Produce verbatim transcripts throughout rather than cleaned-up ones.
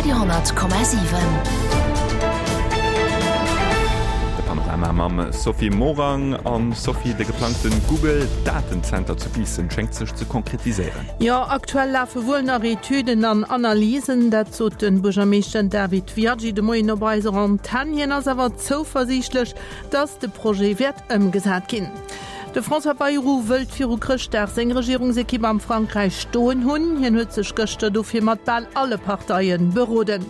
Radio honnert Komma siwen. De Panorama mam Sophie Morang. An Sophie, de geplangte Google Datenzenter zu Biissen schéngt sech ze konkretiséieren. Jo, aktuell lafe wuel nach Etüden an Analysen, dat sot de Buergermeeschter David Viaggi de Moien op eiser Antenn. Hien ass awer zouversiichtlech, datt de Projet wäert ëmgesat ginn. De François Bayrou wëllt viru Chrëschtdag seng Regierungsekipp am Frankräich stoen hunn. Hien huet sech gëschter dofir mat bal alle Parteie beroden.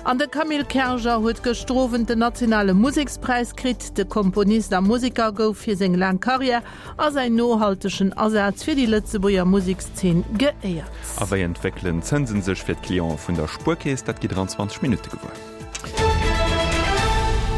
An de Camille Kerger huet gëschter Owend den nationale Musekspräis kritt. De Komponist a Museker gouf fir seng laang Karriär a säin nohaltegen Asaz fir déi Lëtzebuerger Musekszeen geéiert. A wéi entwéckelen d'Zënsen sech fir d'Cliente vun der Spuerkeess? Dat gitt der an zwanzeg Minutte gewuer.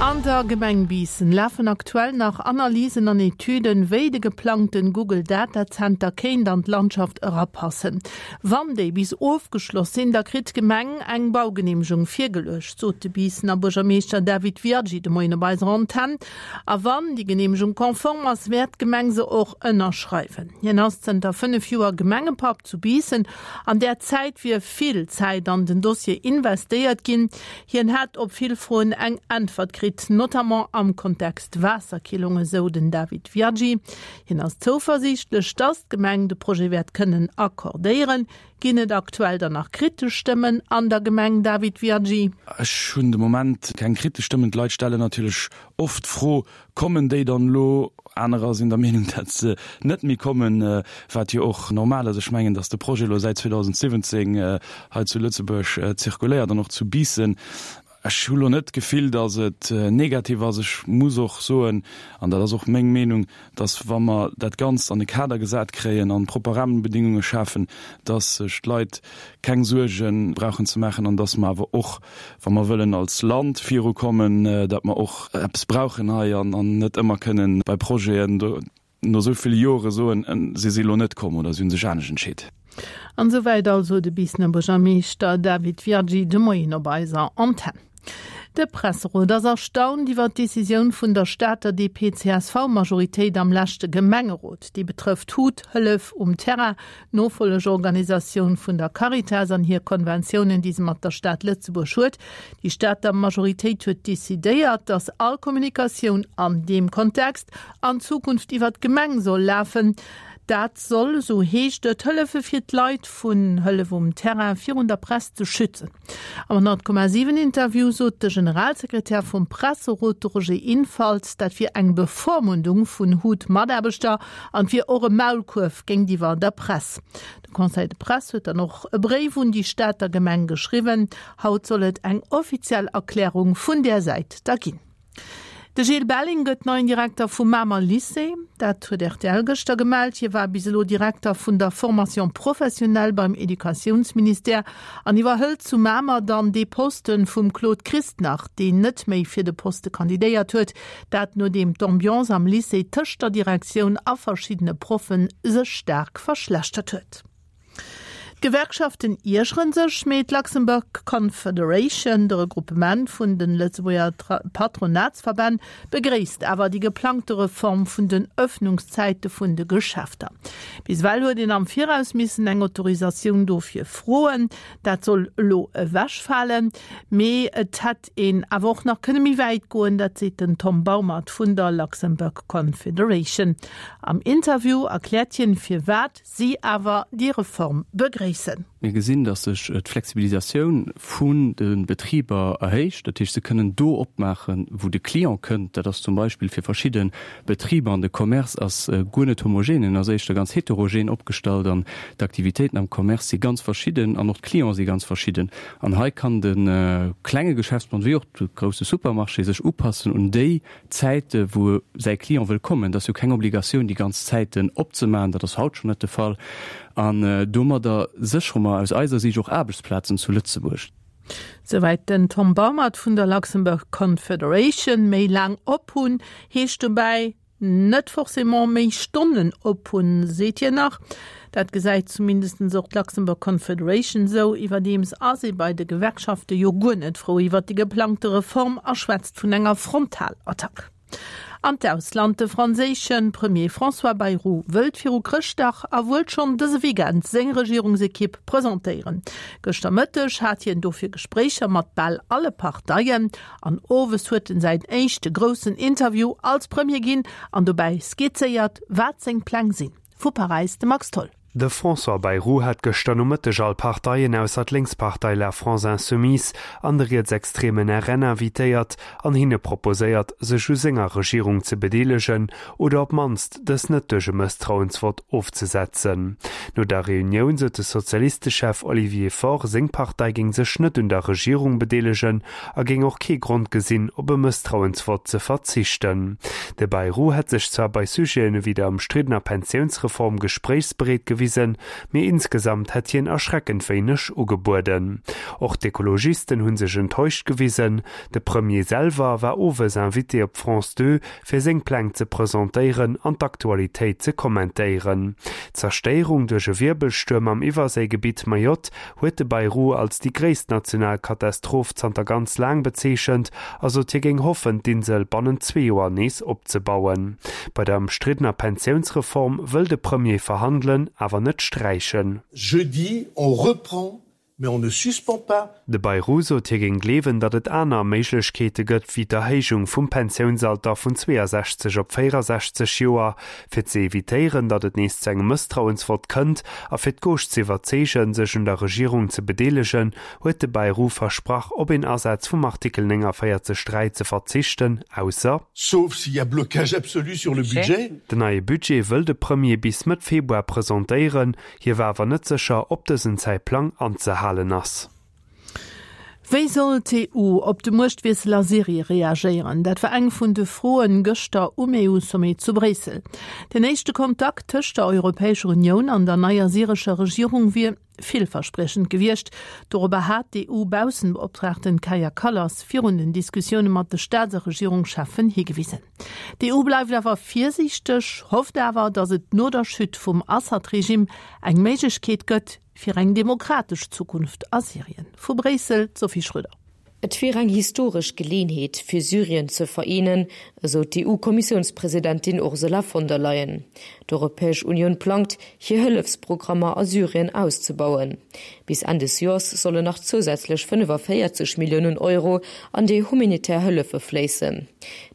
An der Gemeng Biissen lafen aktuell nach Analysen an Etüden, wéi de geplangten Google Datazenter kéint an d'Landschaft erapassen. Wann déi bis ofgeschloss sinn, da kritt d'Gemeng eng Baugeneemegung virgeluecht, sot de Biissener Buergermeeschter David Viaggi de Moien op eiser Antenn. A wann déi Geneemegung konform ass, wäert d'Gemeng se och ënnerschreiwen. Hien ass zënter fënnef Joer Gemengepapp zu Biissen. An där Zäit wier vill Zäit an den Dossier investéiert ginn. Hien hätt op vill Froen eng Äntwert kritt, notamment am Kontext Waasserkillung, esou den David Viaggi. Hien ass zouversiichtlech, datt d'Gemeng de Projet wäert kënnen accordéieren. Ginn et aktuell dann nach kritesch Stëmmen an der Gemeng, David Viaggi? Ech hunn de Moment keng kritesch Stëmmen. D'Leit stellen natierlech oft d'Fro, Kommen déi dann elo? Anerer sinn der Meenung, datt se net méi kommen, wat jo och normal ass. Ech mengen, datt de Projet elo säit zweedausendsiwwenzéng hei zu Lëtzebuerg zirkuléiert an och zu Biissen. Ech hu lo net d'Gefill, datt et negativ ass. Ech muss och soen, an dat ass och meng Meenung, datt wa mer dat Ganzt an e Kader gesat kréien an propper Rahmenbedingunge schafen, datt sech d'Leit keng Suerge brauchen ze maachen an datt mer awer och, wa mer wëllen als Land virukommen, datt mer och eppes brauchen hei an net ëmmer kënnen bei Projeten no esou ville Jore soen, se si lo net komm oder se hu sech anescht entscheet. An esouwäit also de Biissener Buergermeeschter David Viaggi de Moien op eiser Antenn. De Presserot ass erstaunt iwwer d'Decisioun vun der Stater D P C S V-Majoritéit am leschte Gemengerot. Déi betrëfft HUT, Hëllef um Terrain, d'Nofollegeorganisatioun vun der Caritas an hir Konventiounen, déi se mat der Stad Lëtzebuerg huet. Déi Stater Majoritéit huet decidéiert, datt all Kommunikatioun an deem Kontext an Zukunft iwwer d'Gemeng soll lafen. Dat soll, esou heescht et, hëllefe fir d'Leit vun Hëllef um Terrain virun der Press ze schützen. Am honnert Komma siwen Interview sot de Generalsekretär vum Presserot, de Roger Infalt, dat wier eng Bevormundung vun HUT-Mataarbechter an wier och e Maulkuerf géintiwwer der Press. De Conseil de Presse huet dann och e Bréif un déi Stater Gemeng geschriwwen. Haut soll et eng offiziell Erklärung vun där Säit da ginn. De Gilles Belling gëtt neien Direkter vum Mamer Lycée. Dat huet R T L gëschter gemellt. Hie war bis elo Direkter vun der Formation professionnelle beim Educatiounsministère an iwwerhëlt zu Mamer dann dee Poste vum Claude Christnach, deen net méi fir de Poste kandidéiert huet. Dat nodeem d'Ambiance am Lycée tëscht der Direktioun a verschiddene Proffen sech staark verschlechtert huet. D'Gewerkschaften iergere sech, mee d'Luxembourg Confederation, de Regruppement vun de Lëtzebuerger Patronatsverbänn, begréisst awer déi geplangte Reform vun den Ëffnungszäite vun de Geschäfter. Bis ewell huet een am Viraus missen eng Autorisatioun dofir froen. Dat soll elo ewechfalen, mee et hätt een awer och nach kënne méi wäit goen, dat seet den Tom Baumert vun der Luxembourg Confederation. Am Interview erkläert hien, firwat si awer déi Reform begréissen. Mir gesinn, datt sech d'Flexibilisatioun vun de Betriber erhéicht. Dat heescht, se kënnen do opmaachen, wou de Client kënnt. Dat ass zum Beispill fir verschidde Betriber, an de Commerce ass guer net homogen, en ass éischter ganz heterogen opgestallt an d'Aktivitéiten am Commerce si ganz verschidden an och d'Clienten si ganz verschidden. An hei kann de klenge Geschäftsmann wéi och de grousse Supermarché sech upassen un déi Zäite wou säi Client wëll kommen. Dat ass jo keng Obligatioun, déi ganz Zäiten opzemaachen, dat ass haut schonn net de Fall. An domadder séchere mer aus eiser Siicht och Aarbechtsplazen zu Lëtzebuerg. Souwäit den Tom Baumert vun der Luxembourg Confederation. Méi laang op hunn heescht dobäi net forcément méi Stonnen op hunn, seet hien nach. Dat gesäit zumindest och d'Luxembourg Confederation sou. Iwwerdeems ass ee bei de Gewerkschafte jo guer net frou iwwer déi geplangte Reform a schwätzt vun enger Frontalattack. An d'Ausland de franséische Premier François Bayrou wëllt viru Chrëschtdag a wuel schonn dëse Weekend seng Regierungsekipp presentéieren. Gëschter Mëtteg hat hien dofir Gespréicher mat bal alle Parteien an owes huet en säin éischte groussen Interview als Premier ginn an dobäi skizzéiert, wat seng Pläng sinn. Vu Paräis de Max Tholl. De François Bayrou hat gëschter Nomëtteg all Parteien ausser d'Lénkspartei La France Insoumise an de rietsextremen R N invitéiert an hinne proposéiert, sech u senger Regierung ze bedeelegen oder op d'mannst dës net duerch e Mësstrauensvott ofzesetzen. No der Reunioun sot de Sozialistechef Olivier Faure, seng Partei géing sech net un der Regierung bedeelegen a géing och kee Grond gesinn, op e Mësstrauensvott ze verzichten. De Bayrou hätt sech zwar bei Sujeten ewéi der ëmstriddener Pensiounsreform gespréichsbereet gewisen, mee insgesamt hätt hien erschreckend wéineg ugebueden. Och d'Ekologisten hunn sech enttäuscht gewisen. De Premier selwer war owes Invité op France zwou fir seng Pläng ze presentéieren an d'Aktualitéit ze kommentéieren. D'Zerstéierung duerch e Wirbelstuerm am Iwwerséigebitt Mayotte huet de Bayrou als déi gréisst national Katastroph zanter ganz laang bezeechent, a sot hie géing hoffen, d'Insel bannent zwee Joer nees opzebauen. Bei der ëmstriddener Pensiounsreform wëll de Premier verhandelen, awer net sträichen. Jeudi, on reprend, mais on ne suspend pas. De Bayrou sot hie géing gleewen, datt et aner Méiglechkeete gëtt wéi d'Erhéijung vum Pensiounsalter vun zweeasechzeg op véierasechzeg Joer, fir ze evitéieren, datt et nees zu engem Mësstrauensvott kënnt a fir d'Gauche ze iwwerzeegen, sech un der Regierung ze bedeelegen, huet de Bayrou versprach, op een Asaz vum Artikel néngavéierzeg dräi ze verzichten, ausser Sauf s'il y a blocage absolu sur le budget. Den neie Budget wëll de Premier bis Mëtt Februar presentéieren, hie war awer net sécher, ob dësen Zäitplang anzehalen ass. Wéi soll d'E U op de Muechtwiessel a Syrie reagéieren? Dat war eng vun de Froen gëschter um E U-Sommet zu Bréissel. Den éischte Kontakt tëscht der Europäescher Unioun an der neier syrescher Regierung wier villverspriechend gewiescht. Dorobber hat d'E U-Baussebeoptraagten Kaja Kallas virun den Diskussioune mat de Staats- a Regierungscheffen higewisen. D'E U bleift awer virsiichteg, hofft awer, datt et no der Chute vum Assad-Regime eng Méiglechkeet gëtt fir eng demokratesch Zukunft a Syrien. Vu Bréissel Sophie Schröder. Et wier eng historesch Geleeënheet fir Syrien ze vereenen, esou d'E U-Kommissiounspresidentin Ursula von der Leyen. D'Europäesch Unioun plangt, hir Hëllefsprogrammer a Syrien auszebauen. Bis Enn des Joers sollen nach zousätzlech fënnefavéierzeg Milliounen Euro an déi humanitär Hëllefe fléissen.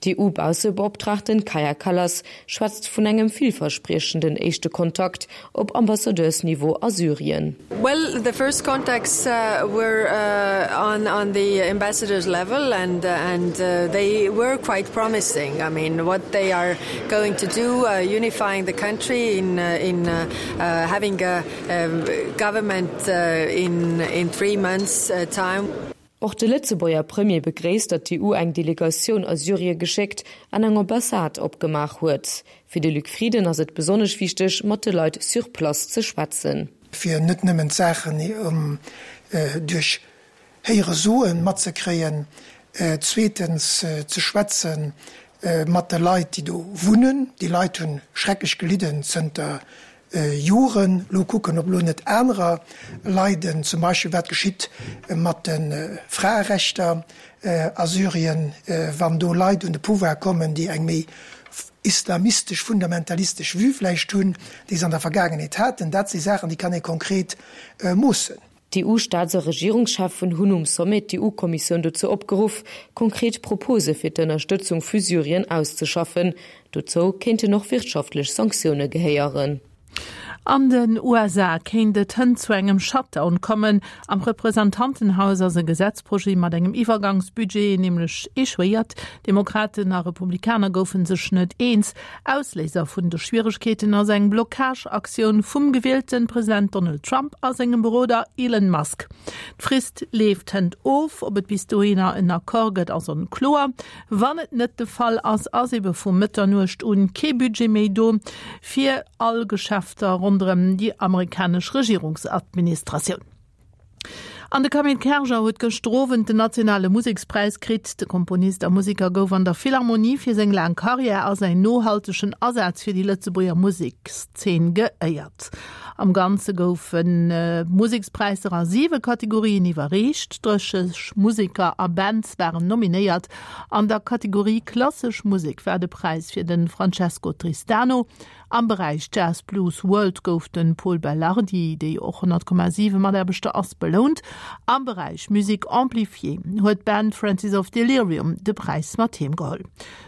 D'E U-Baussebeoptraagten Kaja Kallas schwätzt vun engem villverspriechenden éischte Kontakt op Ambassadeursniveau a Syrien. Well, the first contacts uh, were uh, on, on the ambassadors level and, uh, and uh, they were quite promising. I mean, what they are going to do, uh, unifying the country in, uh, in uh, uh, having a, a government uh, in, in three months uh, time. Och de Lëtzebuerger Premier begréisst, datt d'E U eng Delegatioun a Syrie geschéckt an eng Ambassade opgemaach huet. Fir de Luc Frieden ass et besonnesch wichteg, mat de Leit sur place ze schwätzen. Fir net nëmmen Saachen um, äh, duerch Héieresoen matzekréien, äh, zweetens äh, ze schwätzen äh, mat de Leit, déi do wunnen. Déi Leit hunn schrecklech gelidden zënter äh, Joren. Lo kucken, ob lo net anerer leiden, zum Beispill wat geschitt äh, mat den äh, Fraerechter äh, a Syrien, äh, wann do Leit un de Pouvoir kommen, déi eng méi islamistesch, fundamentalistesch Vue vläicht hunn, déi se an der Vergaangenheet haten. Dat si Saachen, déi kann ee konkret äh, moossen. D'E U-Staats a Regierungscheffen hunn um Sommet d'E U-Kommissioun dozou opgeruff, konkret Propose fir d'Ënnerstëtzung fir Syrien auszeschaffen. Dozou kéinten och wirtschaftlech Sanktioune gehéieren. An den U S A kéint et hënt zu engem Shutdown kommen. Am Representantenhaus ass e Gesetzprojet mat engem Iwwergangsbudget nämlech echouéiert. Demokraten a Republikaner goufe sech net eens. Ausléiser vun de Schwieregkeeten ass eng Blockageaktioun vum gewielte President Donald Trump a sengem Beroder Elon Musk. D'Frist leeft hënt of, ob et bis dohinner en Accord gëtt, ass onkloer. Wann et net de Fall ass, ass ebe vu Mëtternuecht un kee Budget méi do fir all Geschäfter ronderëm déi amerikanesch Regierungsadministratioun. An de Camille Kerger huet gëschter Owend den nationale Musekspräis kritt. De Komponist a Museker gouf an der Philharmonie fir seng laang Karriär a säin nohaltegen Asaz fir déi Lëtzebuerger Musekszeen geéiert. Am Ganze goufen d'Musekspräisser a siwe Kategorien iwwerreecht. Drësseg Museker a Bands waren nominéiert. An der Kategorie Klassesch Musek war de Präis fir de Francesco Tristano. Am Beräich Jazz Blues World gouf de Pol Belardi, dee jo och honnert Komma siwe Mataarbechter ass, belount. Am Beräich Musique Amplifiée huet d'Band Francis of Delirium de Präis mat heem geholl.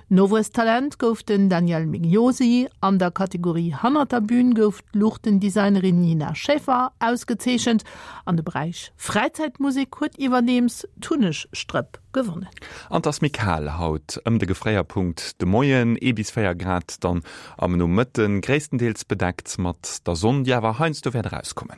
Nowuesstalent gouf den Daniel Migliosi. An der Kategorie Hannert der Bün gouf d'Luuchtendesignerin Nina Schäfer ausgezeechent. An de Beräich Fräizäitmusek huet iwwerdeems d'Hunnegstrëpp gewonnen. An 't ass méi kal haut, ëm de Gefréierpunkt de Moien, ee bis véier Grad dann am Nomëtten, gréisstendeels bedeckt mat der Sonn, déi awer heiansdo wäert erauskommen.